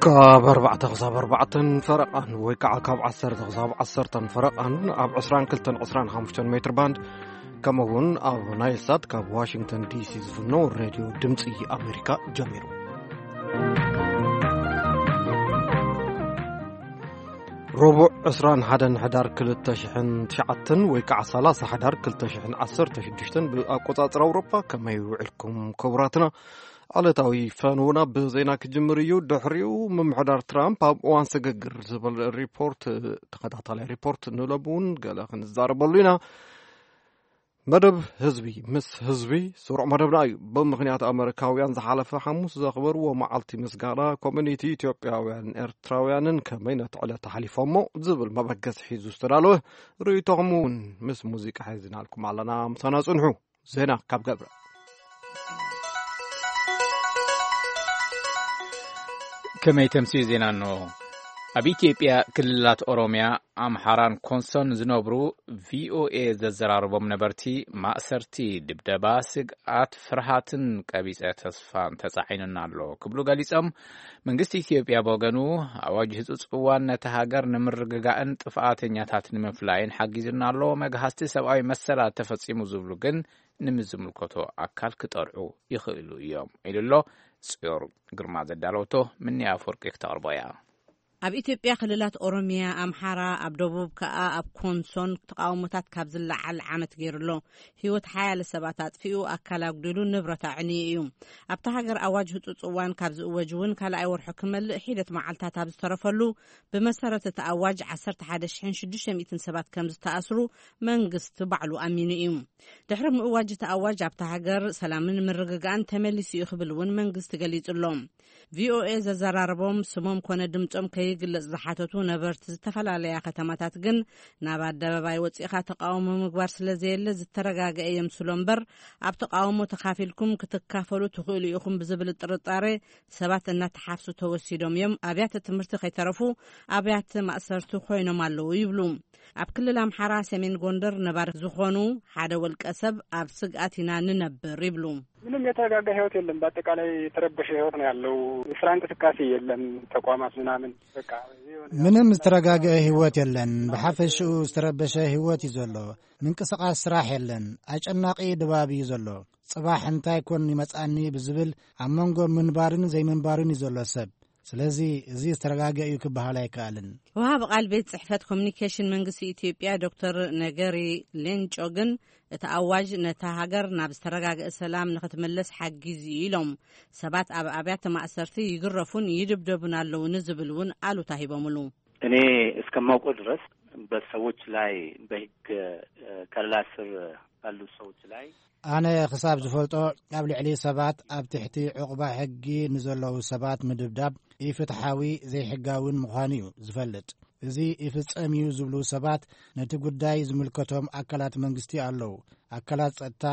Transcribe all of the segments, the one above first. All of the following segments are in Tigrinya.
ካብ ኣርባዕተ ክሳብ ኣርባዕተን ፈረቓን ወይ ከዓ ካብ ዓሰርተ ክሳብ ዓሰርተን ፈረቓን ኣብ ዕስራን ክልተን ዕስራን ሓሙሽተን ሜትር ባንድ፣ ከምኡ እውን ኣብ ናይል ሳት ካብ ዋሽንግተን ዲሲ ዝፍኖ ሬድዮ ድምፂ ኣሜሪካ ጀሚሩ። ረቡዕ ዕስራን ሓደን ሕዳር ክልተ ሽሕን ትሽዓተን ወይ ከዓ ሰላሳ ሕዳር ክልተ ሽሕን ዓሰርተ ሽዱሽተን ብኣቆፃፅራ ኣውሮፓ። ከመይ ውዕልኩም ክቡራትና? ዕለታዊ ፈንውና ብዜና ክጅምር እዩ። ድሕሪኡ ምምሕዳር ትራምፕ ኣብ እዋን ስግግር ዝብል ሪፖርት፣ ተኸታታላይ ሪፖርት ንለቡ እውን ገለ ክንዛረበሉ ኢና። መደብ ህዝቢ ምስ ህዝቢ ስሩዕ መደብና እዩ። ብምኽንያት ኣመሪካውያን ዝሓለፈ ሓሙስ ዘኽበርዎ መዓልቲ ምስጋና ኮሚኒቲ ኢትዮጵያውያን ኤርትራውያንን ከመይ ነቲ ዕለት ኣሕሊፎሞ ዝብል መበገሲ ሒዙ ዝተዳለወ ርእይቶኹም እውን ምስ ሙዚቃ ሒዝናልኩም ኣለና። ምሳና ጽንሑ። ዜና ካብ ገብረ። ከመይ ተምስዩ ዜና እንሆ። ኣብ ኢትዮጵያ ክልላት ኦሮሚያ፣ ኣምሓራን ኮንሶን ዝነብሩ ቪኦኤ ዘዘራረቦም ነበርቲ ማእሰርቲ፣ ድብደባ፣ ስግኣት፣ ፍርሃትን ቀቢጸ ተስፋን ተጻዒኑና ኣሎ ክብሉ ገሊጾም። መንግስቲ ኢትዮጵያ ብወገኑ ኣዋጅ ህጹጽ እዋን ነቲ ሃገር ንምርግጋእን ጥፍኣተኛታት ንምፍላይን ሓጊዙና ኣሎ። መግሃስቲ ሰብኣዊ መሰላት ተፈጺሙ ዝብሉ ግን ንምዝምልከቶ ኣካል ክጠርዑ ይኽእሉ እዮም ኢሉ ኣሎ። ጽዮር ግርማ ዘዳለወቶ ምንያ ኣፈወርቂ ክተቕርቦ እያ። ኣብ ኢትዮጵያ ክልላት ኦሮሚያ፣ ኣምሓራ፣ ኣብ ደቡብ ከኣ ኣብ ኮንሶን ተቃውሞታት ካብ ዝለዓል ዓመት ገይሩ ኣሎ። ህይወት ሓያለ ሰባት ኣጥፊኡ፣ ኣካል ኣጉዲሉ፣ ንብረት ኣዕንዩ እዩ። ኣብታ ሃገር ኣዋጅ ህጹጽ እዋን ካብ ዝእወጅ እውን ካልኣይ ወርሑ ክመልእ ሒደት መዓልታት ኣብ ዝተረፈሉ፣ ብመሰረት እቲ ኣዋጅ ዓሰርተ ሓደ ሽሕን ሽዱሽተ ሚእትን ሰባት ከም ዝተኣስሩ መንግስቲ ባዕሉ ኣሚኑ እዩ። ድሕሪ ምእዋጅ እቲ ኣዋጅ ኣብታ ሃገር ሰላምን ምርግጋእን ተመሊሱ እዩ ክብል እውን መንግስቲ ገሊጹ ኣሎ። ቪኦኤ ዘዘራረቦም ስሞም ኮነ ድምጾም ከይግለጽ ዝሓተቱ ነበርቲ ዝተፈላለያ ከተማታት ግን ናብ ኣደባባይ ወጺእኻ ተቃውሞ ምግባር ስለ ዘየለ ዝተረጋገአ የምስሎ እምበር፣ ኣብ ተቃውሞ ተኻፊልኩም ክትካፈሉ ትኽእሉ ኢኹም ብዝብል ጥርጣሬ ሰባት እናተሓፍሱ ተወሲዶም እዮም። ኣብያተ ትምህርቲ ከይተረፉ ኣብያተ ማእሰርቲ ኮይኖም ኣለዉ ይብሉ። ኣብ ክልል ኣምሓራ ሰሜን ጎንደር ነባሪ ዝኾኑ ሓደ ወልቀ ሰብ ኣብ ስግኣት ኢና ንነብር ይብሉ። ምንም የተረጋጋ ህይወት የለም። በአጠቃላይ የተረበሸ ህይወት ነው ያለው። የስራ እንቅስቃሴ የለም። ተቋማት ምናምን በቃ የሆነ ምንም ዝተረጋገአ ህይወት የለን። ብሓፈሽኡ ዝተረበሸ ህይወት እዩ ዘሎ። ምንቅስቃስ ስራሕ የለን። ኣጨናቂ ድባብ እዩ ዘሎ። ጽባሕ እንታይ ኮን ይመጻኒ ብዝብል ኣብ መንጎ ምንባርን ዘይምንባርን እዩ ዘሎ ሰብ። ስለዚ እዚ ዝተረጋገ እዩ ክበሃል ኣይከኣልን። ወሃቢ ቃል ቤት ጽሕፈት ኮሚኒኬሽን መንግስቲ ኢትዮጵያ ዶክተር ነገሪ ሌንጮ ግን እቲ ኣዋጅ ነታ ሃገር ናብ ዝተረጋገአ ሰላም ንኽትምለስ ሓጊዙ እዩ ኢሎም። ሰባት ኣብ ኣብያተ ማእሰርቲ ይግረፉን ይድብደቡን ኣለዉ ንዝብል እውን ኣሉታ ሂቦምሉ። እኔ እስከማውቀው ድረስ በሰዎች ላይ በህግ ከለላ ስር ባሉ ሰዎች ላይ ኣነ ክሳብ ዝፈልጦ፣ ኣብ ልዕሊ ሰባት ኣብ ትሕቲ ዕቑባ ሕጊ ንዘለዉ ሰባት ምድብዳብ ኢፍትሓዊ ዘይሕጋውን ምዃኑ እዩ ዝፈልጥ። እዚ ይፍጸም እዩ ዝብሉ ሰባት ነቲ ጉዳይ ዝምልከቶም ኣካላት መንግስቲ ኣለዉ። ኣካላት ጸጥታ፣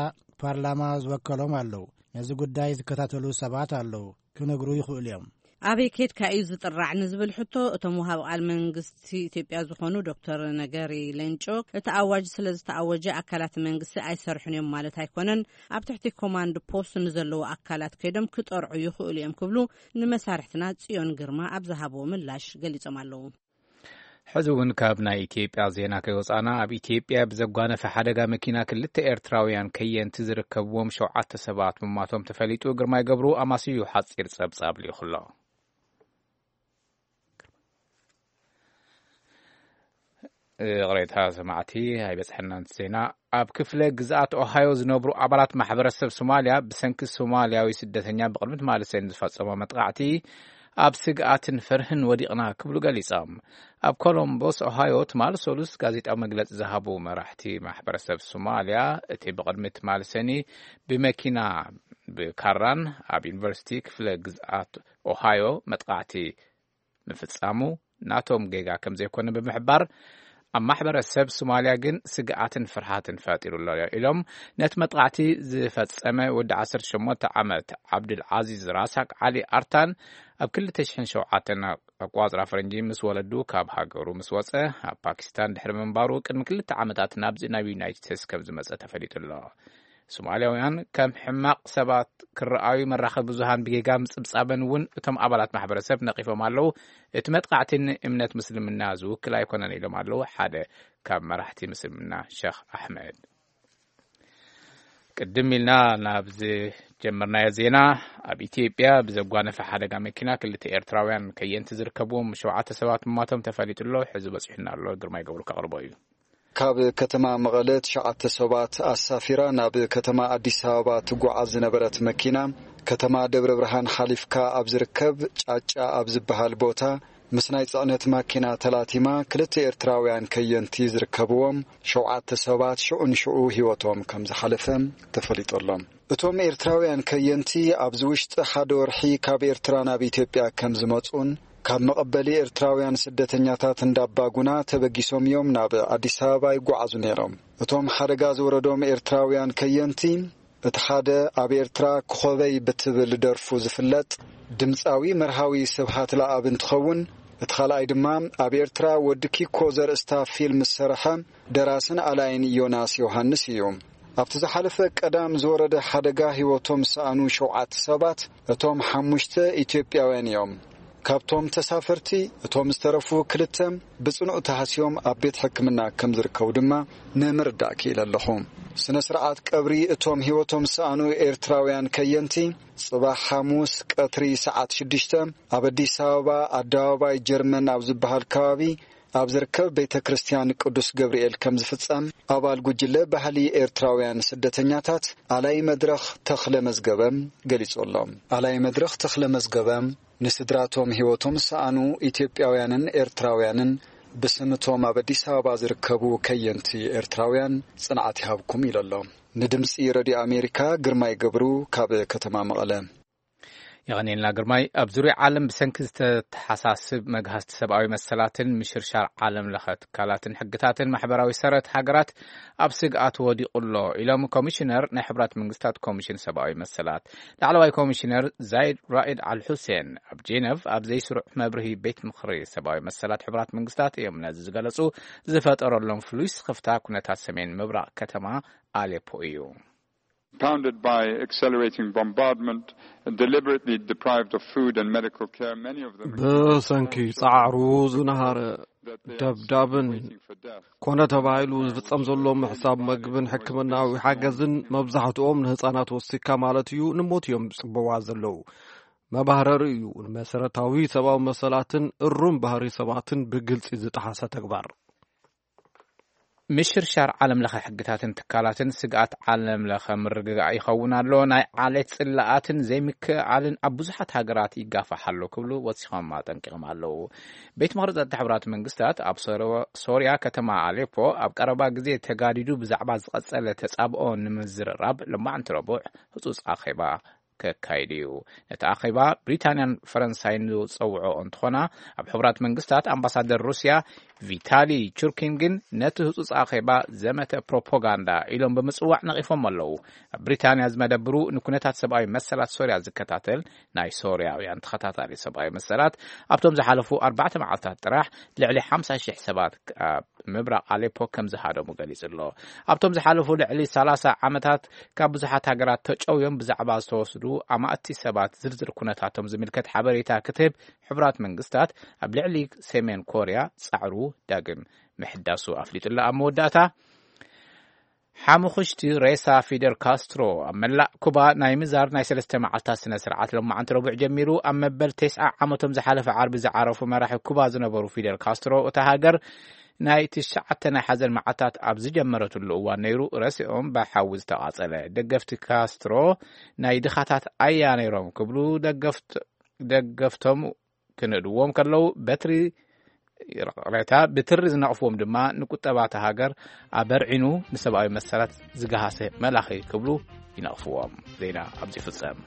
ፓርላማ ዝወከሎም ኣለዉ። ነዚ ጉዳይ ዝከታተሉ ሰባት ኣለዉ። ክነግሩ ይኽእሉ እዮም። ኣበይ ኬድካ እዩ ዝጥራዕ ንዝብል ሕቶ፣ እቶም ወሃብ ቃል መንግስቲ ኢትዮጵያ ዝኾኑ ዶክተር ነገሪ ሌንጮ፣ እቲ ኣዋጅ ስለ ዝተኣወጀ ኣካላት መንግስቲ ኣይሰርሑን እዮም ማለት ኣይኮነን፣ ኣብ ትሕቲ ኮማንድ ፖስት ንዘለዉ ኣካላት ከይዶም ክጠርዑ ይኽእሉ እዮም ክብሉ ንመሳርሕትና ጽዮን ግርማ ኣብ ዝሃብዎ ምላሽ ገሊጾም ኣለዉ። ሕዚ እውን ካብ ናይ ኢትዮጵያ ዜና ከይወጻና፣ ኣብ ኢትዮጵያ ብዘጓነፈ ሓደጋ መኪና ክልተ ኤርትራውያን ከየንቲ ዝርከብዎም ሸውዓተ ሰባት ምሟቶም ተፈሊጡ። ግርማይ ገብሩ ኣማስዩ ሓጺር ጸብጻብ ልኢኹ ኣሎ። ይቕሬታ ሰማዕቲ፣ ኣይበጽሐናን ዜና። ኣብ ክፍለ ግዝኣት ኦሃዮ ዝነብሩ ኣባላት ማሕበረሰብ ሶማልያ ብሰንኪ ሶማልያዊ ስደተኛ ብቕድሚ ትማሊ ሰኒ ዝፈጸሞ መጥቃዕቲ ኣብ ስግኣትን ፍርህን ወዲቕና ክብሉ ገሊጾም። ኣብ ኮሎምቦስ ኦሃዮ ትማሊ ሰሉስ ጋዜጣዊ መግለጺ ዝሃቡ መራሕቲ ማሕበረሰብ ሶማልያ፣ እቲ ብቕድሚ ትማሊ ሰኒ ብመኪና ብካራን ኣብ ዩኒቨርሲቲ ክፍለ ግዝኣት ኦሃዮ መጥቃዕቲ ምፍጻሙ ናቶም ጌጋ ከም ዘይኮነ ብምሕባር፣ ኣብ ማሕበረሰብ ሶማልያ ግን ስግኣትን ፍርሃትን ፈጢሩ ኣሎ ኢሎም። ነቲ መጥቃዕቲ ዝፈጸመ ወዲ ዓሰርተ ሸሞንተ ዓመት ዓብዱል ዓዚዝ ራሳቅ ዓሊ ኣርታን ኣብ ክልተ ሽሕን ሸውዓተን ኣቋጽራ ፈረንጂ ምስ ወለዱ ካብ ሃገሩ ምስ ወጸ፣ ኣብ ፓኪስታን ድሕሪ ምንባሩ ቅድሚ ክልተ ዓመታት ናብዚ ናብ ዩናይትድ ስቴትስ ከም ዝመጸ ተፈሊጡ ኣሎ። ሶማልያውያን ከም ሕማቕ ሰባት ክረኣዩ መራኸቢ ብዙሃን ብጌጋ ምጽብጻበን እውን እቶም ኣባላት ማሕበረሰብ ነቒፎም ኣለዉ። እቲ መጥቃዕቲ ንእምነት ምስልምና ዝውክል ኣይኮነን ኢሎም ኣለዉ ሓደ ካብ መራሕቲ ምስልምና ሸኽ ኣሕመድ። ቅድም ኢልና ናብ ዝጀመርናዮ ዜና፣ ኣብ ኢትዮጵያ ብዘጓነፈ ሓደጋ መኪና ክልተ ኤርትራውያን ከየንቲ ዝርከብዎም ሸውዓተ ሰባት ምማቶም ተፈሊጡ ኣሎ። ሕዚ በጺሑና ኣሎ፣ ግርማይ ገብሩ ከቕርቦ እዩ። ካብ ከተማ መቐለ ትሽዓተ ሰባት ኣሳፊራ ናብ ከተማ ኣዲስ ኣበባ ትጓዓዝ ዝነበረት መኪና፣ ከተማ ደብረ ብርሃን ሓሊፍካ ኣብ ዝርከብ ጫጫ ኣብ ዝበሃል ቦታ ምስ ናይ ጽዕነት ማኪና ተላቲማ፣ ክልተ ኤርትራውያን ከየንቲ ዝርከብዎም ሸውዓተ ሰባት ሽዑ ንሽዑ ህይወቶም ከም ዝሓለፈ ተፈሊጡ ኣሎ። እቶም ኤርትራውያን ከየንቲ ኣብዚ ውሽጢ ሓደ ወርሒ ካብ ኤርትራ ናብ ኢትዮጵያ ከም ዝመጹን ካብ መቐበሊ ኤርትራውያን ስደተኛታት እንዳባጉና ተበጊሶም እዮም ናብ ኣዲስ ኣበባ ይጓዓዙ ነይሮም። እቶም ሓደጋ ዝወረዶም ኤርትራውያን ከየንቲ፣ እቲ ሓደ ኣብ ኤርትራ ክኾበይ ብትብል ደርፉ ዝፍለጥ ድምጻዊ መርሃዊ ስብሃት ለኣብ እንትኸውን፣ እቲ ካልኣይ ድማ ኣብ ኤርትራ ወዲ ኪኮ ዘርእስታ ፊልም ዝሰርሐ ደራስን ኣላይን ዮናስ ዮሃንስ እዩ። ኣብቲ ዝሓለፈ ቀዳም ዝወረደ ሓደጋ ህይወቶም ዝሰኣኑ ሸውዓተ ሰባት፣ እቶም ሓሙሽተ ኢትዮጵያውያን እዮም። ካብቶም ተሳፈርቲ እቶም ዝተረፉ ክልተ ብጽኑዕ ተሃስዮም ኣብ ቤት ሕክምና ከም ዝርከቡ ድማ ንምርዳእ ክኢለ ኣለኹ። ስነ ስርዓት ቀብሪ እቶም ህይወቶም ዝሰኣኑ ኤርትራውያን ከየንቲ ጽባሕ ሓሙስ ቀትሪ ሰዓት ሽዱሽተ ኣብ ኣዲስ ኣበባ ኣደባባይ ጀርመን ኣብ ዝበሃል ከባቢ ኣብ ዝርከብ ቤተ ክርስቲያን ቅዱስ ገብርኤል ከም ዝፍጸም ኣባል ጉጅለ ባህሊ ኤርትራውያን ስደተኛታት ኣላይ መድረኽ ተኽለ መዝገበ ገሊጹ ኣሎ። ኣላይ መድረኽ ተኽለ መዝገበ ንስድራቶም ህይወቶም ዝሰኣኑ ኢትዮጵያውያንን ኤርትራውያንን ብስምቶም ኣብ ኣዲስ ኣበባ ዝርከቡ ከየንቲ ኤርትራውያን ጽንዓት ይሃብኩም ኢሉ ኣሎ። ንድምጺ ረድዮ ኣሜሪካ ግርማይ ገብሩ ካብ ከተማ መቐለ። የቐኔልና ግርማይ። ኣብ ዙርያ ዓለም ብሰንኪ ዝተተሓሳስብ መግሃስቲ ሰብኣዊ መሰላትን ምሽርሻር ዓለም ለኸ ትካላትን ሕግታትን ማሕበራዊ ሰረት ሃገራት ኣብ ስግኣት ወዲቑ ኣሎ ኢሎም ኮሚሽነር ናይ ሕብራት መንግስታት ኮሚሽን ሰብኣዊ መሰላት። ላዕለዋይ ኮሚሽነር ዛይድ ራኢድ ኣል ሑሴን ኣብ ጄነቭ ኣብ ዘይስሩዕ መብርሂ ቤት ምኽሪ ሰብኣዊ መሰላት ሕብራት መንግስታት እዮም ነዚ ዝገለጹ። ዝፈጠረሎም ፍሉይ ስኽፍታ ኩነታት ሰሜን ምብራቕ ከተማ ኣሌፖ እዩ። Pounded by accelerating bombardment, deliberately deprived of food and medical care, many of them ብሰንኪ ጻዕሩ ዝነሃረ ደብዳብን waiting for death. ኮነ ተባሂሉ ዝፍጸም ዘሎ ምሕሳብ መግብን ሕክምናዊ ሓገዝን መብዛሕትኦም ንህጻናት ወሲካ ማለት እዩ ንሞት እዮም ዝጽበዋ ዘለዉ። መባህረሪ እዩ ንመሰረታዊ ሰብኣዊ መሰላትን እሩም ባህሪ ሰባትን ብግልጺ ዝጠሓሰ ተግባር። ምሽርሻር ዓለም ለኸ ሕግታትን ትካላትን ስግኣት ዓለም ለኸ ምርግጋእ ይኸውን ኣሎ፣ ናይ ዓሌት ጽላኣትን ዘይምክእኣልን ኣብ ብዙሓት ሃገራት ይጋፋሕ ኣሎ ክብሉ ወሲኾም ኣጠንቂቖም ኣለዉ። ቤት ምኽሪ ጸጥታ ሕብራት መንግስታት ኣብ ሶሮ-፣ ሶርያ ከተማ ኣሌፖ ኣብ ቀረባ ግዜ ተጋዲዱ ብዛዕባ ዝቐጸለ ተጻብኦ ንምዝርራብ ሎማዕንቲ ረቡዕ ህጹጽ ኣኼባ ከካይድ እዩ። ነቲ ኣኼባ ብሪታንያን ፈረንሳይን ዝጸውዖ እንትኾና፣ ኣብ ሕቡራት መንግስታት ኣምባሳደር ሩስያ ቪታሊ ቹርኪን ግን ነቲ ህጹጽ ኣኼባ ዘመተ ፕሮፓጋንዳ ኢሎም ብምጽዋዕ ነቒፎም ኣለዉ። ኣብ ብሪታንያ ዝመደብሩ ንኩነታት ሰብኣዊ መሰላት ሶርያ ዝከታተል ናይ ሶርያውያን ተኸታታሊ ሰብኣዊ መሰላት ኣብቶም ዝሓለፉ ኣርባዕተ መዓልታት ጥራሕ ልዕሊ ሓምሳ ሽሕ ሰባት ኣብ ምብራቕ ኣሌፖ ከም ዝሃደሙ ገሊጹ ኣሎ። ኣብቶም ዝሓለፉ ልዕሊ ሰላሳ ዓመታት ካብ ብዙሓት ሃገራት ተጨውዮም ብዛዕባ ዝተወስዱ ኣማእቲ ሰባት ዝርዝር ኩነታቶም ዝምልከት ሓበሬታ ክትህብ ሕቡራት መንግስታት ኣብ ልዕሊ ሰሜን ኮርያ ጻዕሩ ዳግም ምሕዳሱ ኣፍሊጡ ኣሎ። ኣብ መወዳእታ ሓሙኽሽቲ ሬሳ ፊደል ካስትሮ ኣብ መላእ ኩባ ናይ ምዛር ናይ ሰለስተ መዓልታት ስነ ስርዓት ሎማዓንቲ ረቡዕ ጀሚሩ። ኣብ መበል ተስዓ ዓመቶም ዝሓለፈ ዓርቢ ዝዓረፉ መራሒ ኩባ ዝነበሩ ፊደል ካስትሮ እታ ሃገር ናይ ትሽዓተ ናይ ሓዘን መዓልታት ኣብ ዝጀመረትሉ እዋን ነይሩ ረሲኦም ብሓዊ ዝተቓጸለ። ደገፍቲ ካስትሮ ናይ ድኻታት ኣያ ነይሮም ክብሉ ደገፍት-፣ ደገፍቶም ክንእድዎም ከለዉ በትሪ ይቕሬታ፣ ብትሪ ዝነቕፍዎም ድማ ንቁጠባ እታ ሃገር ኣበርዒኑ ንሰብኣዊ መሰላት ዝገሃሰ መላኺ ክብሉ ይነቕፍዎም። ዜና ኣብዚ ይፍጸም።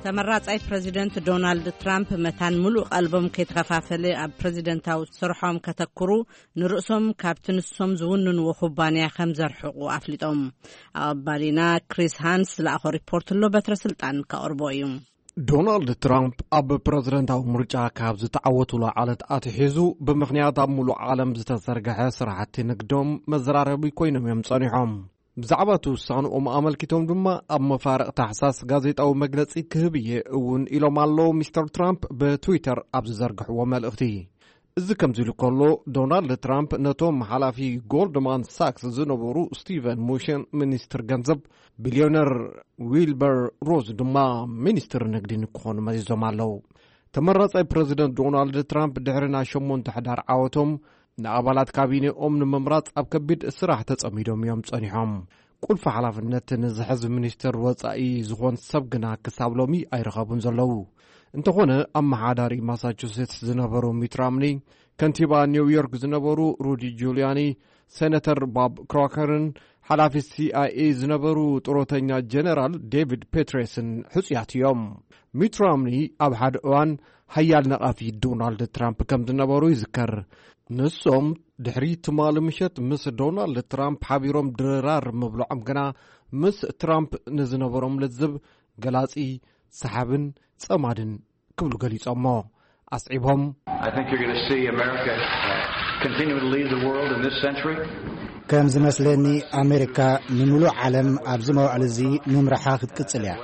ተመራጻይ ፕረዚደንት ዶናልድ ትራምፕ መታን ምሉእ ቀልቦም ከይተኸፋፈለ ኣብ ፕረዚደንታዊ ስርሖም ከተኩሩ ንርእሶም ካብቲ ንሶም ዝውንንዎ ኩባንያ ከም ዘርሕቑ ኣፍሊጦም። ኣቐባሊና ክሪስ ሃንስ ዝለኣኾ ሪፖርት ኣሎ፣ በትረ ስልጣን ከቕርቦ እዩ። ዶናልድ ትራምፕ ኣብ ፕረዚደንታዊ ምርጫ ካብ ዝተዓወቱሉ ዓለት ኣትሒዙ፣ ብምኽንያት ኣብ ሙሉእ ዓለም ዝተዘርግሐ ስራሕቲ ንግዶም መዘራረቢ ኮይኖም እዮም ጸኒሖም። ብዛዕባ እቲ ውሳንኦም ኣመልኪቶም ድማ፣ ኣብ መፋርቕ ታሕሳስ ጋዜጣዊ መግለጺ ክህብ እየ እውን ኢሎም ኣለዉ፣ ሚስተር ትራምፕ ብትዊተር ኣብ ዝዘርግሕዎ መልእኽቲ። እዚ ከምዚ ኢሉ ከሎ፣ ዶናልድ ትራምፕ ነቶም ሓላፊ ጎልድማን ሳክስ ዝነበሩ ስቲቨን ሙሽን ሚኒስትር ገንዘብ፣ ቢልዮነር ዊልበር ሮዝ ድማ ሚኒስትር ንግዲ ንክኾኑ መዚዞም ኣለዉ። ተመራጻይ ፕረዚደንት ዶናልድ ትራምፕ ድሕሪ ናይ ሸሞንተ ሕዳር ዓወቶም፣ ንኣባላት ካቢኔኦም ንምምራጽ ኣብ ከቢድ ስራሕ ተጸሚዶም እዮም ጸኒሖም። ቁልፊ ሓላፍነት ንዝሕዝ ሚኒስትር ወጻኢ ዝኾን ሰብ ግና ክሳብ ሎሚ ኣይረኸቡን ዘለዉ። እንተኾነ፣ ኣመሓዳሪ ማሳቹሴትስ ዝነበሩ ሚት ራምኒ፣ ከንቲባ ኒውዮርክ ዝነበሩ ሩዲ ጁልያኒ፣ ሴነተር ቦብ ክሮከርን ሓላፊ ሲ ኣይ ኤ ዝነበሩ ጥሮተኛ ጀነራል ዴቪድ ፔትሬስን ሕጹያት እዮም። ሚት ራምኒ ኣብ ሓደ እዋን ሓያል ነቓፊ ዶናልድ ትራምፕ ከም ዝነበሩ ይዝከር። ንሶም ድሕሪ ትማሊ ምሸት ምስ ዶናልድ ትራምፕ ሓቢሮም ድራር ምብልዖም ግና፣ ምስ ትራምፕ ንዝነበሮም ልዝብ ገላጺ፣ ሰሓብን ጸማድን ክብሉ ገሊጾሞ። ኣስዒቦም፣ I think you're going to see America continue to lead the world in this century. ከም ዝመስለኒ፣ ኣሜሪካ ንምሉእ ዓለም ኣብዚ መዋዕል እዚ ምምራሓ ክትቅጽል እያ።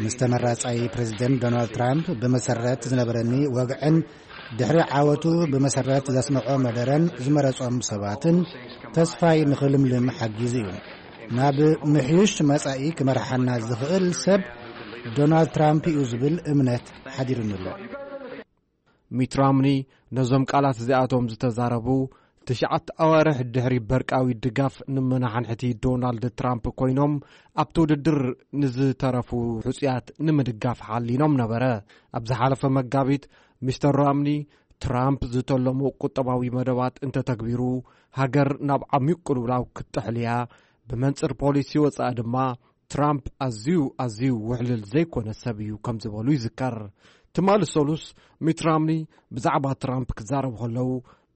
ምስ ተመራጻይ ፕረዚደንት ዶናልድ ትራምፕ ብመሰረት ዝነበረኒ ወግዕን ድሕሪ ዓወቱ ብመሰረት ዘስምዖ መደረን ዝመረጾም ሰባትን ተስፋይ ንኽልምልም ሓጊዙ እዩ። ናብ ምሕዩሽ መጻኢ ክመርሓና ዝኽእል ሰብ ዶናልድ ትራምፕ እዩ ዝብል እምነት ሓዲሩኒ ኣሎ። ሚት ራምኒ ነዞም ቃላት እዚኣቶም ዝተዛረቡ፣ ትሽዓተ ኣዋርሕ ድሕሪ በርቃዊ ድጋፍ ንመናሓንሕቲ ዶናልድ ትራምፕ ኮይኖም፣ ኣብቲ ውድድር ንዝተረፉ ሕጹያት ንምድጋፍ ሓሊኖም ነበረ። ኣብ ዝሓለፈ መጋቢት፣ ሚስተር ራምኒ፣ ትራምፕ ዝተለሞ ቁጠባዊ መደባት እንተተግቢሩ፣ ሃገር ናብ ዓሚቕ ቅልውላው ክትጥሕል እያ፣ ብመንጽር ፖሊሲ ወጻኢ ድማ፣ ትራምፕ ኣዝዩ፣ ኣዝዩ ውሕልል ዘይኮነ ሰብ እዩ ከም ዝበሉ ይዝከር። ትማሊ ሰሉስ፣ ሚት ራምኒ ብዛዕባ ትራምፕ ክዛረቡ ከለዉ፣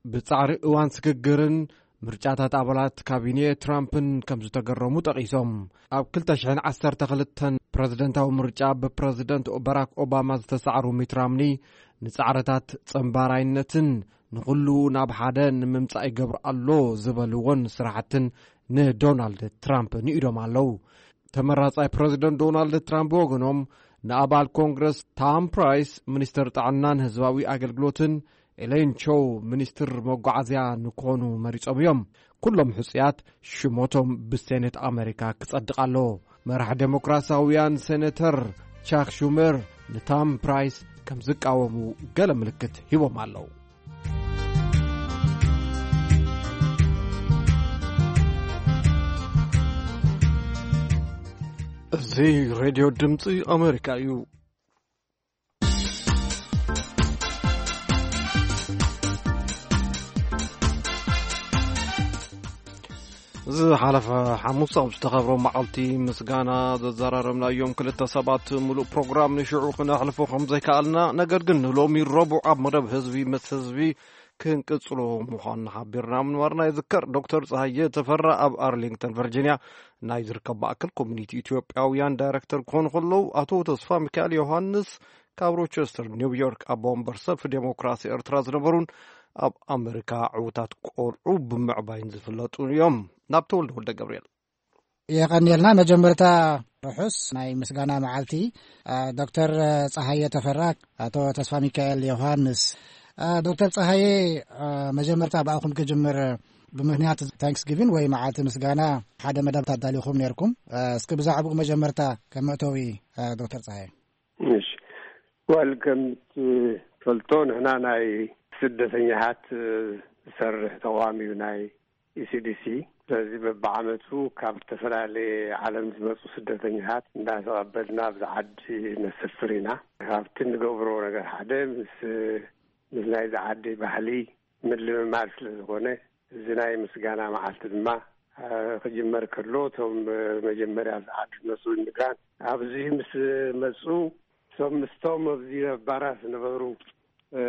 ብጻዕሪ እዋን ስግግርን ምርጫታት ኣባላት ካቢኔ ትራምፕን ከም ዝተገረሙ ጠቒሶም። ኣብ ክልተ ሽሕን ዓሰርተ ክልተን ፕረዚደንታዊ ምርጫ ብፕረዚደንት ባራክ ኦባማ ዝተሳዕሩ ሚት ራምኒ፣ ንጻዕርታት ጸንባራይነትን ንኹሉ ናብ ሓደ ንምምጻእ ይገብር ኣሎ ዝበልዎን ስራሕትን ንዶናልድ ትራምፕ ንኢዶም ኣለዉ። ተመራጻይ ፕረዚደንት ዶናልድ ትራምፕ ብወገኖም፣ ንኣባል ኮንግረስ ታም ፕራይስ፣ ሚኒስተር ጥዕናን ህዝባዊ ኣገልግሎትን፣ ኤሌን ቾው፣ ሚኒስትር መጓዓዝያ ንክኾኑ መሪጾም እዮም። ኩሎም ሕጹያት ሽሞቶም ብሴኔት ኣሜሪካ ክጸድቕ ኣለዎ። መራሕ ዴሞክራሲያውያን ሴኔተር ቻክ ሹመር ንታም ፕራይስ ከም ዝቃወሙ ገለ ምልክት ሂቦም ኣለዉ። እዚ ሬድዮ ድምፂ ኣሜሪካ እዩ። ዝሓለፈ ሓሙስ ኣብ ዝተኸብሮ መዓልቲ ምስጋና ዘዘራረብናዮም ክልተ ሰባት ምሉእ ፕሮግራም ንሽዑ ክነሕልፎ ከም ዘይከኣልና፣ ነገር ግን ንሎሚ ረቡዕ ኣብ መደብ ህዝቢ ምስ ህዝቢ ክንቅጽሎ ምዃንና ሓቢርና ምንባርና ይዝከር። ዶክተር ጸሃየ ተፈራ ኣብ ኣርሊንግተን ቨርጂንያ ናይ ዝርከብ ማእከል ኮሚኒቲ ኢትዮጵያውያን ዳይሬክተር ክኾኑ ከለዉ፣ ኣቶ ተስፋ ሚካኤል ዮሃንስ ካብ ሮቸስተር ኒውዮርክ ኣቦ ወንበር ሰልፊ ዴሞክራሲ ኤርትራ ዝነበሩን ኣብ ኣሜሪካ ዕዉታት ቆልዑ ብምዕባይን ዝፍለጡ እዮም። ናብ ተወልደ ወልደ ገብርኤል። የቐንየልና። መጀመርታ ርሑስ ናይ ምስጋና መዓልቲ፣ አ፣ ዶክተር ጸሃየ ተፈራ፣ ኣቶ ተስፋ ሚካኤል ዮሃንስ። አ፣ ዶክተር ጸሃየ፣ አ፣ መጀመርታ ብኣኹም ክጅምር፣ ብምኽንያት ታንክስጊቪን ወይ መዓልቲ ምስጋና ሓደ መደብ ኣዳሊኹም ነይርኩም። አ፣ እስኪ ብዛዕባኡ መጀመርታ ከም መእተዊ፣ አ፣ ዶክተር ጸሃየ። እሺ። ዋል ከም ትፈልጦ ንሕና ናይ ስደተኛታት ዝሰርሕ ተቋም እዩ ናይ ኢ ሲ ዲ ሲ። ስለዚ በብዓመቱ ካብ ዝተፈላለየ ዓለም ዝመፁ ስደተኛታት እንዳተቐበልና ኣብዚ ዓዲ ነሰፍር ኢና። ካብቲ እንገብሮ ነገር ሓደ ምስ፣ ምስ ናይዚ ዓዲ ባህሊ ምልምማድ ስለ ዝኾነ፣ እዚ ናይ ምስጋና መዓልቲ ድማ፣ አ፣ ክጅመር ከሎ፣ እቶም፣ አ፣ መጀመርያ ኣብዚ ዓዲ ዝመፁ ኢሚግራንት ኣብዚ ምስ መፁ፣ እቶም ምስቶም ኣብዚ ነባራት ዝነበሩ፣ እ፣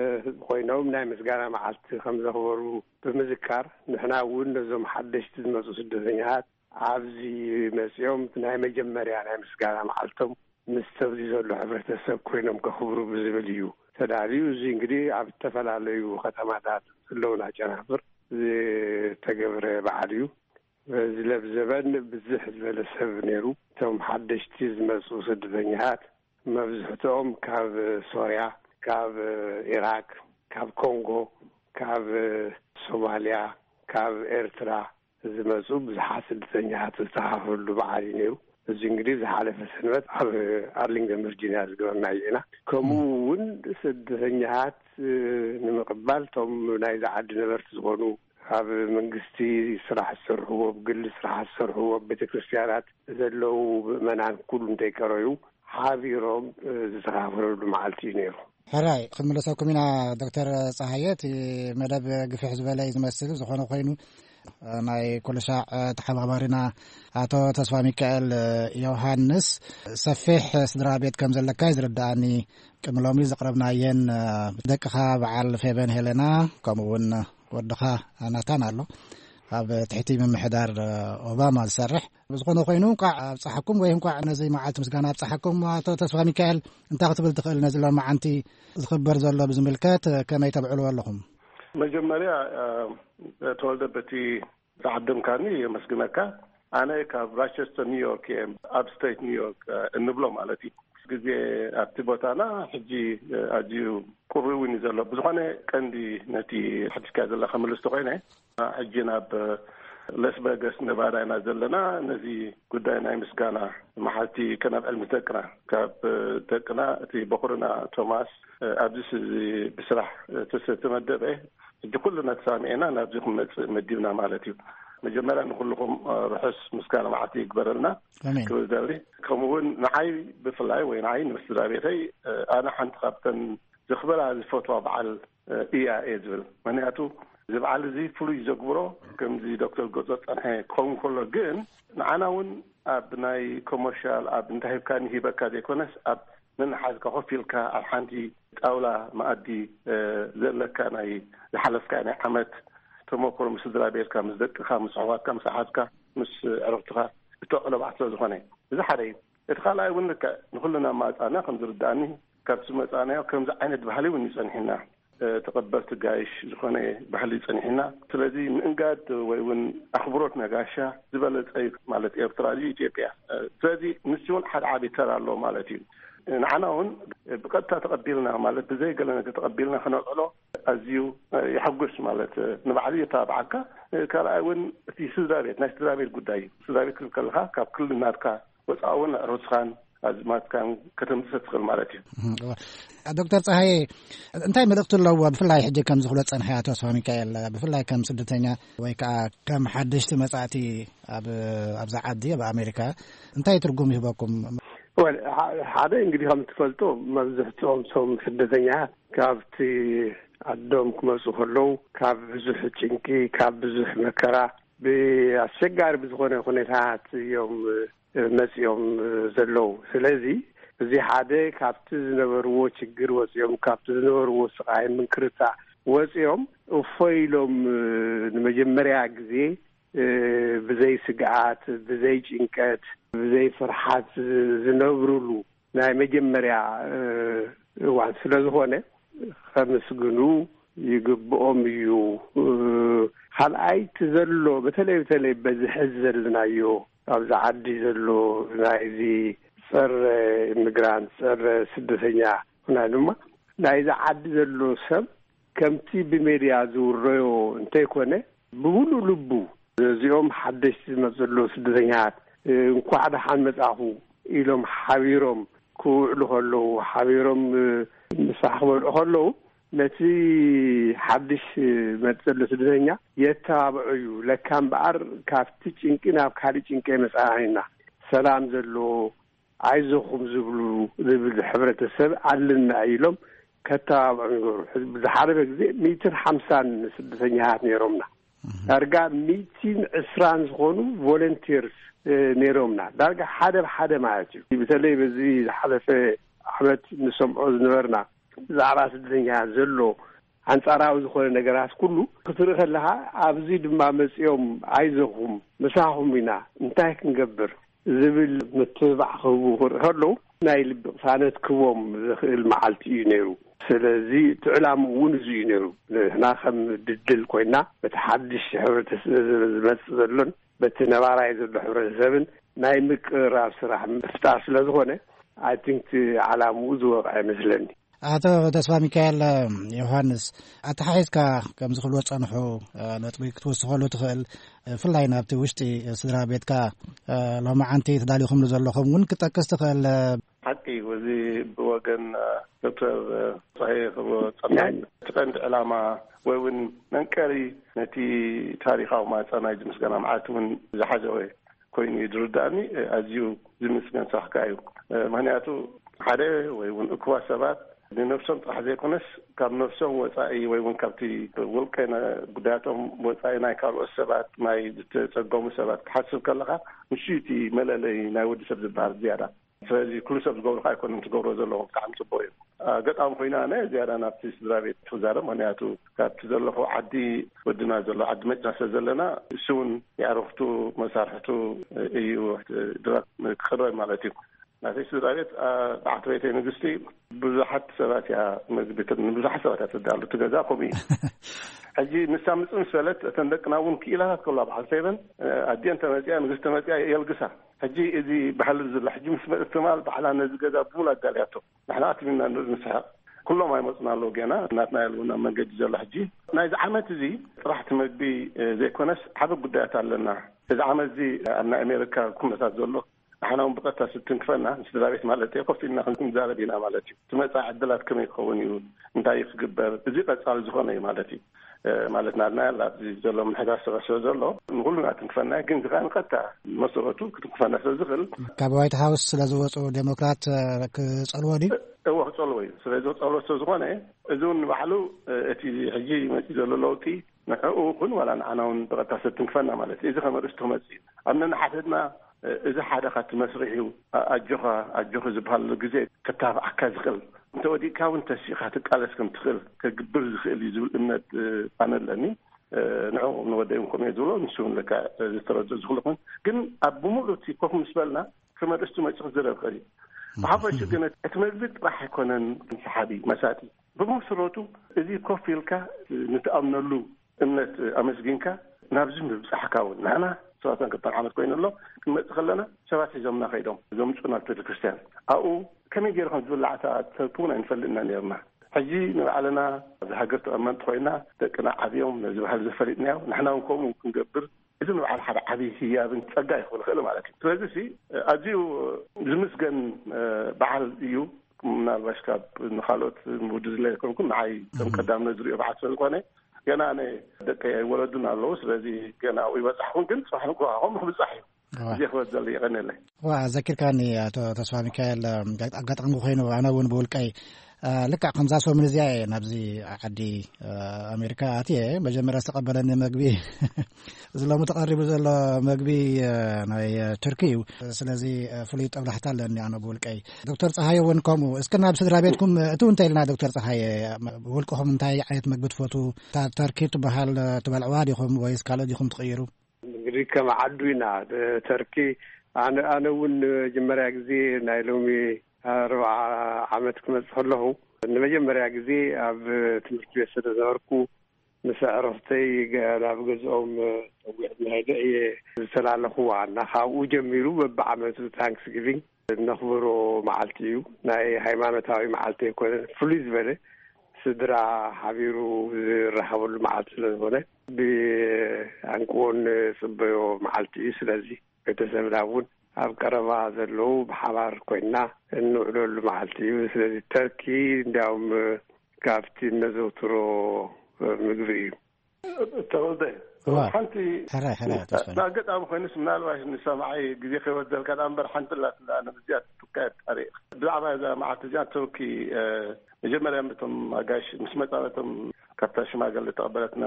ኮይኖም ናይ ምስጋና መዓልቲ ከም ዘኽበሩ ብምዝካር፣ ንሕና እውን ነዞም ሓደሽቲ ዝመፁ ስደተኛታት ኣብዚ መፂኦም ናይ መጀመርያ ናይ ምስጋና መዓልቶም ምስ ተብዚ ዘሎ ሕብረተሰብ ኮይኖም ከኽብሩ ብዝብል እዩ ተዳልዩ። እዚ እንግዲህ ኣብ ዝተፈላለዩ ከተማታት ዘለውና ጨናፍር ዝተገብረ በዓል እዩ። በዚ ለብዘበን ብዝሕ ዝበለ ሰብ ነይሩ። እቶም ሓደሽቲ ዝመፁ ስደተኛታት መብዝሕትኦም ካብ ሶርያ፣ ካብ ኢራቅ፣ ካብ ኮንጎ፣ ካብ ሶማልያ፣ ካብ ኤርትራ ዝመፁ ብዙሓት ስደተኛታት ዝተኻፈሉ በዓል እዩ ነይሩ። እዚ እንግዲህ ዝሓለፈ ሰንበት ኣብ ኣርሊንግተን ቨርጂኒያ ዝገበርናዮ ኢና። ከምኡ እውን ስደተኛታት ንምቕባል እቶም ናይዚ ዓዲ ነበርቲ ዝኾኑ ኣብ መንግስቲ ስራሕ ዝሰርሕዎ፣ ብግሊ ስራሕ ዝሰርሕዎ፣ ኣብ ቤተክርስትያናት ዘለዉ ምእመናን ኩሉ እንተይቀረዩ ሓቢሮም ዝተኻፈለሉ መዓልቲ እዩ ነይሩ። ሕራይ ክንምለሰኩም ኢና። ዶክተር ፀሃየ፣ እቲ መደብ ግፍሕ ዝበለ እዩ ዝመስል። ዝኾነ ኮይኑ ናይ ኩልሻዕ ተሓባባሪና ኣቶ ተስፋ ሚካኤል ዮሃንስ ሰፊሕ ስድራ ቤት ከም ዘለካ እዩ ዝርዳኣኒ። ቅድሚ ሎሚ ዘቕረብናየን ደቅኻ በዓል ፌበን ሄሌና ከምኡ እውን ወድኻ ናታን ኣሎ ኣብ ትሕቲ ምምሕዳር ኦባማ ዝሰርሕ። ብዝኾነ ኮይኑ እንኳዕ ኣብፀሓኩም ወይ እንኳዕ ነዚ መዓልቲ ምስጋና ኣብፀሓኩም። ኣቶ ተስፋ ሚካኤል እንታይ ክትብል ትኽእል ነዚ ሎማዓንቲ ዝኽበር ዘሎ ብዝምልከት ከመይ ተብዕልዎ ኣለኹም? መጀመርያ ተወልደ በቲ ዝዓደምካኒ የመስግነካ። ኣነ ካብ ራቸስተር ኒውዮርክ እየ፣ ኣብ ስቴት ኒውዮርክ እንብሎ ማለት እዩ። ግዜ ኣብቲ ቦታና ሕጂ ኣዝዩ ቁሪ እውን እዩ ዘሎ። ብዝኾነ ቀንዲ ነቲ ሕድስካ ዘለካ መልስቲ ኮይነ ሕጂ ናብ ለስ ቨገስ ነባዳ ኢና ዘለና። ነዚ ጉዳይ ናይ ምስጋና መዓልቲ ከነብዕል ምስ ደቅና፣ ካብ ደቅና እቲ በኹርና ቶማስ ኣብዚ ብስራሕ ተሰ- ተመደበ ሕጂ ኩልና ተሳሚዕና ናብዚ ክመፅእ መዲብና ማለት እዩ። መጀመርያ ንኩልኩም ርሑስ ምስጋና መዓልቲ ይግበረልና። ክብል ደሊ ከምኡ እውን ንዓይ ብፍላይ ወይ ንዓይ ንምስድራ ቤተይ ኣነ ሓንቲ ካብተን ዝኽበራ ዝፈትዋ በዓል እያ እየ ዝብል። ምክንያቱ እዚ በዓል እዚ ፍሉይ ዘግብሮ ከምዚ ዶክተር ገጾ ጸንሐ ክኸውን ከሎ ግን ንዓና እውን ኣብ ናይ ኮመርሻል ኣብ እንታይ ሂብካኒ ሂበካ ዘይኮነስ ኣብ ነንሓዝካ ኮፍ ኢልካ ኣብ ሓንቲ ጣውላ መኣዲ ዘለካ ናይ ዝሓለፍካ ናይ ዓመት ተመክሮ ምስ ስድራ ቤትካ ምስ ደቅኻ ምስ ኣሕዋትካ ምስ ኣሓትካ ምስ ዕርኽትኻ እተዕሎ በዓል ስለ ዝኾነ እዚ ሓደ እዩ። እቲ ካልኣይ እውን ልክዕ ንኩልና ማፃና ከም ዝርዳእኒ ካብቲ መፃናዮ ከምዚ ዓይነት ባህሊ እውን ይፀንሕና ተቐበልቲ ጋይሽ ዝኾነ ባህሊ ጸኒሕና። ስለዚ ምእንጋድ ወይ እውን ኣኽብሮት ነጋሻ ዝበለጸ እዩ ማለት ኤርትራ ድዩ ኢትዮጵያ። ስለዚ ንሱ እውን ሓደ ዓቢ ተራ ኣለዎ ማለት እዩ። ንዓና እውን ብቐጥታ ተቐቢልና ማለት ብዘይ ገለ ነገር ተቐቢልና ከነውዕሎ ኣዝዩ የሐጉስ ማለት ንባዕሉ የተባብዓካ። ካልኣይ እውን እቲ ስድራ ቤት ናይ ስድራ ቤት ጉዳይ እዩ። ስድራ ቤት ክብል ከለኻ ካብ ክልል ናትካ ወፃእ እውን ኣዕሩስኻን ኣዝማትካን ከተምፅእ ትኽእል ማለት እዩ። ዶክተር ፀሃየ እንታይ መልእክቲ ኣለዎ? ብፍላይ ሕጂ ከም ዝኽሎ ፀንሐ ኣቶ ተስፋ ሚካኤል ብፍላይ ከም ስደተኛ ወይ ከዓ ከም ሓደሽቲ መፃእቲ ኣብዛ ዓዲ ኣብ ኣሜሪካ እንታይ ትርጉም ይህበኩም? ወል ሓደ እንግዲህ ከም ትፈልጦ መብዝሕትኦም ሶም ስደተኛ ካብቲ ዓዶም ክመፁ ከለዉ ካብ ብዙሕ ጭንቂ ካብ ብዙሕ መከራ ብኣስቸጋሪ ብዝኾነ ኩነታት እዮም መፂኦም ዘለዉ። ስለዚ እዚ ሓደ ካብቲ ዝነበርዎ ችግር ወፂኦም ካብቲ ዝነበርዎ ስቓይ ምንክርታ ወፂኦም እፎ ኢሎም ንመጀመርያ ግዜ ብዘይ ስግኣት ብዘይ ጭንቀት ብዘይ ፍርሓት ዝነብርሉ ናይ መጀመርያ እዋን ስለ ዝኾነ ከምስግኑ ይግብኦም እዩ። ካልኣይ እቲ ዘሎ በተለይ በተለይ በዚ ሕዚ ዘለናዮ ኣብዚ ዓዲ ዘሎ ናይዚ ፀረ ኢሚግራንት ፀረ ስደተኛ ኩና ድማ ናይዚ ዓዲ ዘሎ ሰብ ከምቲ ብሜድያ ዝውረዮ እንተይኮነ ብሙሉእ ልቡ እዚኦም ሓደሽቲ ዝመፁ ዘለዉ ስደተኛታት እንኳዕ ደሓን መፃኹ ኢሎም ሓቢሮም ክውዕሉ ከለዉ ሓቢሮም ምሳሕ ክበልዑ ከለዉ ነቲ ሓድሽ መፅእ ዘሎ ስደተኛ የተባብዖ እዩ። ለካ እምበኣር ካብቲ ጭንቂ ናብ ካሊእ ጭንቂ ኣይመፃእናን ኢና። ሰላም ዘለዎ ኣይዞኹም ዝብሉ ዝብል ሕብረተሰብ ኣለና ኢሎም ከተባብዖም ይገብሩ። ብዝሓለፈ ግዜ ሚእትን ሓምሳን ስደተኛታት ነይሮምና። ዳርጋ ሚእትን ዕስራን ዝኾኑ ቮለንቲርስ ነይሮምና። ዳርጋ ሓደ ብሓደ ማለት እዩ። በተለይ በዚ ዝሓለፈ ዓመት ንሰምዖ ዝነበርና ብዛዕባ ስደተኛ ዘሎ ኣንጻራዊ ዝኾነ ነገራት ኩሉ ክትርኢ ከለኻ ኣብዚ ድማ መጺኦም ኣይዞኹም ምሳኹም ኢና እንታይ ክንገብር ዝብል ምትብባዕ ክህቡ ክርኢ ከለዉ፣ ናይ ልቢ ቅሳነት ክህቦም ዝኽእል መዓልቲ እዩ ነይሩ። ስለዚ እቲ ዕላምኡ እውን እዚ እዩ ነይሩ። ንሕና ከም ድልድል ኮይና በቲ ሓድሽ ሕብረተሰብ ዝመጽእ ዘሎን በቲ ነባራይ ዘሎ ሕብረተሰብን ናይ ምቅርራብ ስራሕ ምፍጣር ስለ ዝኾነ፣ I think እቲ ዓላምኡ ዝወቕዐ ይመስለኒ። ኣቶ ተስፋ ሚካኤል ዮሃንስ፣ ኣተሓሒዝካ ከምዚ ክብልዎ ዝጸንሑ ነጥቢ ክትወስኸሉ ትኽእል፣ ብፍላይ ናብቲ ውሽጢ ስድራ ቤትካ ሎማዓንቲ ተዳሊኹምሉ ዘለኹም እውን ክጠቅስ ትኽእል። ሓቂ እዩ። እዚ ብወገን ዶክተር ጸሃየ ክብሎ ጸናይ እቲ ቀንዲ ዕላማ ወይ እውን መንቀሪ ነቲ ታሪኻዊ ማዕጸ ናይዚ ምስጋና መዓልቲ እውን ዝሓዘወ ኮይኑ እዩ ዝርዳእኒ። ኣዝዩ ዝምስገን ስራሕካ እዩ። ምክንያቱ ሓደ ወይ እውን እኩባት ሰባት ንነብሶም ጥራሕ ዘይኮነስ ካብ ነብሶም ወጻኢ ወይ እውን ካብቲ ውልቀ ነ-፣ ጉዳያቶም ወጻኢ ናይ ካልኦት ሰባት፣ ናይ ዝተጸገሙ ሰባት ክሓስብ ከለኻ ንሱ እቲ መለለይ ናይ ወዲ ሰብ ዝበሃል ዝያዳ። ስለዚ ኩሉ ሰብ ዝገብሮ ከኣ ኣይኮነን ትገብሮ ዘለኹም ብጣዕሚ ጽቡቅ እዩ። ኣጋጣሚ ኮይና ኣነ ዝያዳ ናብቲ ስድራ ቤት ክዛረብ፣ ምክንያቱ ካብቲ ዘለኹ ዓዲ ወድና ዘሎ ዓዲ መጽና ስለ ዘለና እሱ እውን የዕርኽቱ መሳርሕቱ እዩ ድራር ክቕረብ ማለት እዩ። ናተይ ስድራ ቤት በዓልቲ ቤተይ ንግስቲ ብዙሓት ሰባት እያ መግቢ ት-፣ ንብዙሓት ሰባት እያ ተዳሉ። እቲ ገዛ ከምኡ እዩ። ሕጂ ንሳ ምጽእ ምስ በለት እተን ደቅና እውን ክኢላታት ከለዋ በዓል ሰይበን ኣዲአን ተመጽያ ንግስቲ ተመጽያ የልግሳ። ሕጂ እዚ ባህሊ ዘሎ ሕጂ ምስ መእት ትማል ባዕላ ነዚ ገዛ ብሙሉ ኣዳልያቶ። ንሕና ኣትሚና ንርኢ ንስሕቕ። ኩሎም ኣይመጹን ኣለዉ ገና። ናትና የልውን ኣብ መንገዲ ዘሎ ሕጂ። ናይዚ ዓመት እዚ ጥራሕ እቲ መግቢ ዘይኮነስ ዓቢ ጉዳያት ኣለና። እዚ ዓመት እዚ ኣብ ናይ ኣሜሪካ ኩነታት ዘሎ ንሕና እውን ብቐጥታ ስትንክፈና፣ ንስድራ ቤት ማለት እየ፣ ኮፍ ኢልና ክንዛረብ ኢና ማለት እዩ። እቲ መጻኢ ዕድላት ከመይ ክኸውን እዩ፣ እንታይ እዩ ክግበር፣ እዚ ቀጻሊ ዝኾነ እዩ ማለት እዩ። ማለት ናትና ያላ ኣብዚ ዘሎ ምሕዳር ስራሕ ስለ ዘሎ ንኹሉና ትንክፈና እዩ። ግን እዚ ከኣ ንቐጥታ መሰረቱ ክትንክፈና ስለ ዝኽእል ካብ ዋይት ሃውስ ስለ ዝወፁ ዴሞክራት ክፀልዎ ድዩ? እዎ ክፀልዎ እዩ። ስለዚ ክፀልዎ ስለ ዝኾነ እዚ እውን ንባዕሉ እቲ ሕጂ መፂኡ ዘሎ ለውጢ ንዕኡ እውን ዋላ ንዓና እውን ብቐጥታ ስለ ትንክፈና ማለት እዩ። እዚ ከም ኣርእስቲ ክመፅእ እዩ። ኣብ ነንሓድሕድና እዚ ሓደ ካብቲ መስርሕ እዩ። ኣጆኻ ኣጆኺ ዝበሃል ግዜ ክተባብዓካ ዝኽእል፣ እንተወዲእካ እውን ተሲእኻ ትቃለስ ከም ትኽእል ከግብር ዝኽእል እዩ ዝብል እምነት ኣነ ኣለኒ። ንዕኡ ንወደይ እውን ከምኡ እየ ዝብሎ፣ ንሱ እውን ለካ ዝተረድኦ ዝኽእል ይኸውን። ግን ኣብ ብምሉእ እቲ ኮፍ ምስ በልና ከም ኣርእስቱ መፂኡ ክዝረብ ይኽእል እዩ። ብሓፈሹ ግን እቲ መግቢ ጥራሕ ኣይኮነን ሰሓቢ መሳጢ። ብመሰረቱ እዚ ኮፍ ኢልካ ንትኣምነሉ እምነት ኣመስጊንካ ናብዚ ምብጻሕካ እውን ንሕና ሰባትን ክልተን ዓመት ኮይኑ ኣሎ። ክንመጽእ ከለና ሰባት ሒዞምና ከይዶም ዘምጹና ቤተክርስትያን ኣብኡ ከመይ ገይሩ ከም ዝብላዕ እታ ተርኪ እውን ኣይንፈልጥና ነርና። ሕጂ ንባዕልና ኣብዚ ሃገር ተቐመጥቲ ኮይና ደቅና ዓብዮም ነዚ ባህሊ ዘፈሊጥናዮ ንሕና እውን ከምኡ ክንገብር እዚ ንባዕሉ ሓደ ዓብዪ ህያብን ጸጋ ይኽእል ይኽእል ማለት እዩ። ስለዚ ሲ ኣዝዩ ዝምስገን በዓል እዩ። ምናልባሽ ካብ ንኻልኦት ምውዲ ዝለ ይኮንኩን ንዓይ ከም ቀዳምነት ዝሪኦ በዓል ስለ ዝኾነ ገና ኣነ ደቀይ ኣይወለዱን ኣለዉ። ስለዚ ገና ኣብኡ ይበጻሕኹን፣ ግን ጽባሕ ንግሆ ከምኡ ክብጻሕ እዩ። እዋ። እዚ ክበል ዘሎ የቐንየለይ። ዋ፣ ዘኪርካኒ ኣቶ ተስፋ ሚካኤል፣ ኣጋጣሚ ኮይኑ ኣነ እውን ብውልቀይ ልክዕ ከምዛ ሰሙን እዚኣ እየ ናብዚ ዓዲ ኣሜሪካ ኣትየ። መጀመርያ ዝተቐበለኒ መግቢ እዚ ሎሚ ተቐሪቡ ዘሎ መግቢ ናይ ቱርኪ እዩ። ስለዚ ፍሉይ ጠብላሕታ ኣለኒ ኣነ ብውልቀይ። ዶክተር ፀሃየ እውን ከምኡ። እስኪ ናብ ስድራ ቤትኩም እትው እንተ ኢልና ዶክተር ፀሃየ፣ ብውልቅኹም እንታይ ዓይነት መግቢ ትፈቱ? እታ ተርኪ ትበሃል ትበልዕዋ ዲኹም ወይስ ካልእ ዲኹም ትቕይሩ? እንግዲህ ከም ዓዱ ኢና ተርኪ። ኣነ ኣነ እውን ንመጀመርያ ግዜ ናይ ሎሚ ኣርብዓ ዓመት ክመጽእ ከለኹ ንመጀመርያ ግዜ ኣብ ትምህርቲ ቤት ስለ ዝነበርኩ ምስ ኣዕሩኽተይ ናብ ገዝኦም ጸዊዕናይ እየ ዝተላለኹዋ እና ካብኡ ጀሚሩ በብዓመቱ ታንክስ ጊቪንግ እነኽብሮ መዓልቲ እዩ። ናይ ሃይማኖታዊ መዓልቲ ኣይኮነን። ፍሉይ ዝበለ ስድራ ሓቢሩ ዝራኸበሉ መዓልቲ ስለ ዝኾነ ብኣንቅዎ ንጽበዮ መዓልቲ እዩ። ስለዚ ቤተሰብና እውን ኣብ ቀረባ ዘለዉ ብሓባር ኮይና እንውዕለሉ መዓልቲ እዩ። ስለዚ ተርኪ እንዲያውም ካብቲ እነዘውትሮ ምግቢ እዩ። ተወልደ፣ እዋ። ሓንቲ ሕራይ፣ ሕራይ፣ ተስፋ። ብኣጋጣሚ ኮይኑስ ምናልባት ንሰማዓይ ግዜ ከይወስደልካ ደኣ እምበር ሓንቲ ኣላትና ነብዚኣ ትካየድ ታሪኽ። ብዛዕባ እዛ መዓልቲ እዚኣ ተወኪ፣ እ፣ መጀመርያ እቶም ኣጋይሽ ምስ መጻ ነቶም ካብታ ሽማግለ ተቐበለትና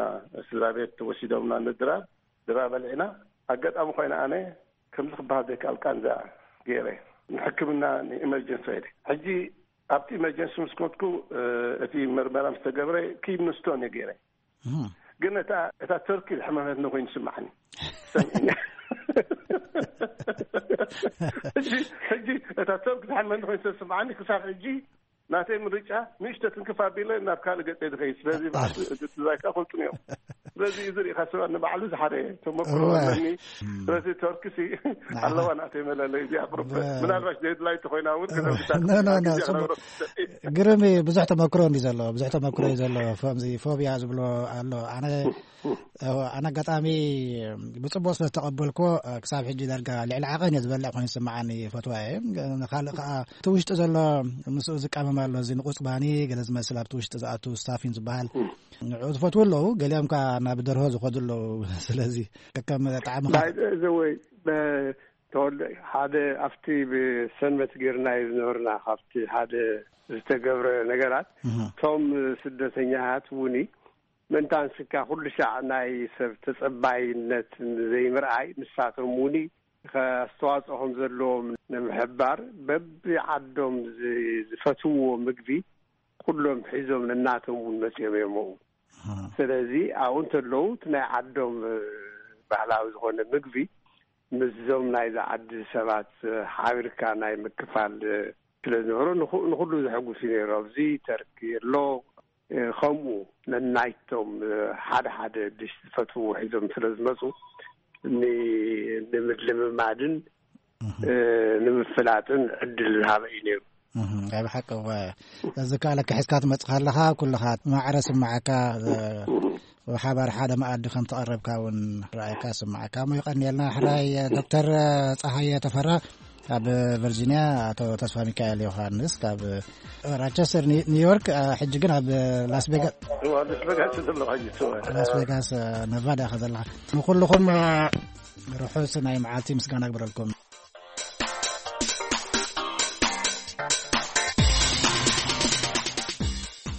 ስድራ ቤት ወሲዶምና ንድራር፣ ድራር በሊዕና። ኣጋጣሚ ኮይነ ኣነ ከምዚ ክበሃል ዘይከኣል ቃንዛ ገይረ ንሕክምና ንኢመርጀንሲ ከይደ። ሕጂ ኣብቲ ኢመርጀንሲ ምስ ከድኩ፣ እ፣ እቲ መርመራ ምስ ተገብረ ኪድኒ ስቶን እየ ገይረ። እም። ግን እታ፣ እታ ተርኪ ዝሕመመትኒ ኮይኑ ይስምዓኒ። ሰሚዕኒ። ሕጂ ሕጂ እታ ሰብ ክትሓልመኒ ኮይኑ ተስምዓኒ ክሳብ ሕጂ ናተይ ምርጫ ንእሽቶ ትንክፍ ኣቢለ ናብ ካልእ ገጸ ዝኸይድ። ስለዚ ባዕሉ እቲ ዛይካ ፈልጡን እዮም። ስለዚ እዚ ርኢኻ ሰባት ንባዕሉ ዝሓደ ተመክሮ እወ። ኣለኒ። ስለዚ ተርክሲ ኣለዋ ናተይ መለለይ እዚኣ ቁርብ ብ- ምናልባሽ ዴድላይ ተኮይና እውን ኖ፣ ኖ፣ ኖ፣ ግዜ ጽቡቅ። ክነብሮ ትኽእል። ግርም እዩ። ብዙሕ ተመክሮ እንዲ ዘለዎ ብዙሕ ተመክሮ እዩ ዘለዎ። ከምዚ ፎቢያ ዝብሎ ኣሎ። ኣነ ኣነ ኣጋጣሚ ብጽቡቅ ስለ ዝተቐበልኮ ክሳብ ሕጂ ዳርጋ ልዕሊ ዓቐን እየ ዝበልዕ ኮይኑ ዝስምዓኒ። ፈትዋ እየ። ንካልእ ከዓ እቲ ውሽጢ ዘሎ ምስኡ ዝቃመም ኣሎ። እዚ ንቁጽባኒ ገለ ዝመስል ኣብቲ ውሽጢ ዝኣቱ ስታፊን ዝበሃል ንዕኡ ዝፈትዉ ኣለዉ። ገሊኦም ከዓ ናብ ደርሆ ዝኸዱ ኣለዉ። ስለዚ ከከም ጣዕምኻ ባይ ዘ ወይ ተወልደ ሓደ ኣብቲ ብሰንበት ጌርናዮ ዝነበርና ካብቲ ሓደ ዝተገብረ ነገራት እቶም ስደተኛታት እውን ምእንታን ስካ ኩሉ ሻዕ ናይ ሰብ ተጸባይነት ዘይምርኣይ ንሳቶም እውን ከስተዋጽኦ ከም ዘለዎም ንምሕባር በብዓዶም ዝ- ዝፈትውዎ ምግቢ ኩሎም ሒዞም ነናቶም እውን መጺኦም እዮም። ስለዚ ኣብኡ እንተለዉ እቲ ናይ ዓዶም ባህላዊ ዝኾነ ምግቢ ምስዞም ናይዛ ዓዲ ሰባት ሓቢርካ ናይ ምክፋል ስለ ዝነበሮ ንኹ- ንኹሉ ዘሐጉስ እዩ ነይሩ። ኣብዚ ተርኪ ኣሎ ከምኡ ነናይቶም ሓደ ሓደ ድሽ ዝፈትዉ ሒዞም ስለ ዝመፁ ን- ንምልምማድን ንምፍላጥን ዕድል ዝሃበ እዩ ነይሩ። ኣብ ሓቂ እወ። እዚ ከኣለካ ሒዝካ ትመፅእ ከለኻ ኩልኻ ማዕረ ስምዓካ። ብሓባር ሓደ መኣዲ ከም ተቐረብካ እውን ረኣይካ ስምዓካ እሞ ይቐንየልና። ሕራይ ዶክተር ፀሃየ ተፈራ ካብ ቨርጂኒያ፣ ኣቶ ተስፋ ሚካኤል ዮሃንስ ካብ ራቸስተር ኒ- ኒውዮርክ፣ ሕጂ ግን ኣብ ላስ ቬጋስ እዋ ንስበጋስ ዘለኻ ይስዋ ላስ ቬጋስ ነቫዳ ኢኻ ዘለኻ። ንኩልኹም ርሑስ ናይ መዓልቲ ምስጋና ግበረልኩም።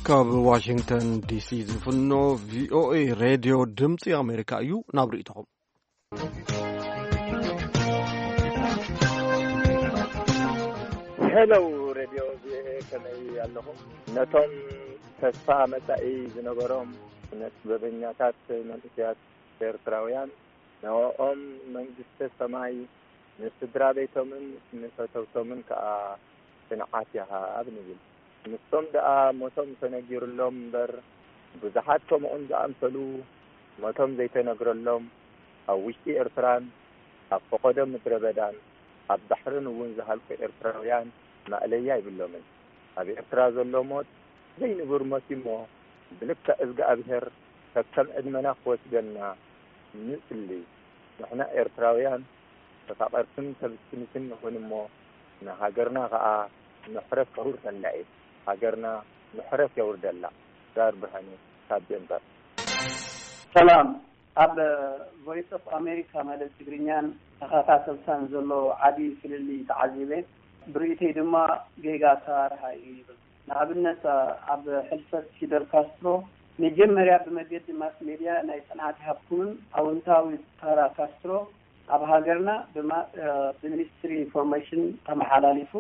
ካብ ዋሽንግተን ዲሲ ዝፍኖ ቪኦኤ ሬድዮ ድምፂ ኣሜሪካ እዩ። ናብ ርእይቶኹም። ሄሎ ሬድዮ ቪኦኤ፣ ከመይ ኣለኹም? ነቶም ተስፋ መጻኢ ዝነበሮም ስነ ጥበበኛታት መንእሰያት ኤርትራውያን፣ ንዕኦም መንግስተ ሰማይ፣ ንስድራ ቤቶምን ንፈተውቶምን ከኣ ጽንዓት ይሃብ ንብል። ንሶም ደኣ ሞቶም ተነጊሩሎም እምበር፣ ብዙሓት ከምኦም ዝኣምሰሉ ሞቶም ዘይተነግረሎም፣ ኣብ ውሽጢ ኤርትራን ኣብ ፈቐዶ ምድረ በዳን ኣብ ባሕርን እውን ዝሃልቁ ኤርትራውያን ማእለያ ኣይብሎምን። ኣብ ኤርትራ ዘሎ ሞት ዘይንቡር ሞት እዩ'ሞ፣ ብልክዕ እዝግኣብሄር ከከም ዕድመና ክወስደልና ንጽሊ። ንሕና ኤርትራውያን ተፋቐርትን ተብትንትን ንኹን እሞ፣ ንሃገርና ኸኣ ምሕረት ከውርደላ እየ። ሃገርና ምሕረት የውርደላ። ዛር ብርሃነ ካብ ዴንቨር። ሰላም። ኣብ ቮይስ ኦፍ ኣሜሪካ ማለት ትግርኛን ተኸታተልታን ዘሎ ዓቢ ፍልልይ ተዓዚበ። ብርእይተይ ድማ ጌጋ ኣሰራርሓ እዩ ይብል። ንኣብነት ኣብ ሕልፈት ፊደል ካስትሮ መጀመርያ ብመገዲ ማስ ሜድያ ናይ ጽንዓት ይሃብኩምን ኣወንታዊ ተራ ካስትሮ ኣብ ሃገርና ብማ- ብሚኒስትሪ ኢንፎርሜሽን ተመሓላሊፉ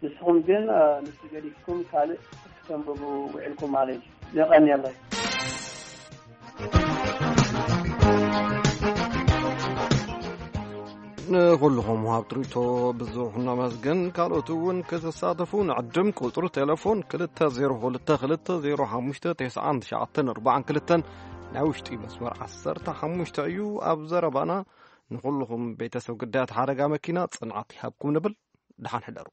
ንስኹም ግን ንሱ ገዲፍኩም ካልእ ክትንብቡ ውዒልኩም ማለት እዩ። የቐንየለይ። ንኹልኹም ወሃብቲ ርእይቶ ብዙሕ ነመስግን። ካልኦት እውን ክትሳተፉ ንዕድም። ቁጽሪ ቴሌፎን ክልተ ዜሮ ክልተ ክልተ ዜሮ ሓሙሽተ ተስዓን ትሽዓተን ኣርባዓን ክልተን ናይ ውሽጢ መስመር ዓሰርተ ሓሙሽተ እዩ። ኣብ ዘረባና ንኹልኹም ቤተሰብ ግዳያት ሓደጋ መኪና ጽንዓት ይሃብኩም ንብል። ደሓን ሕደሩ።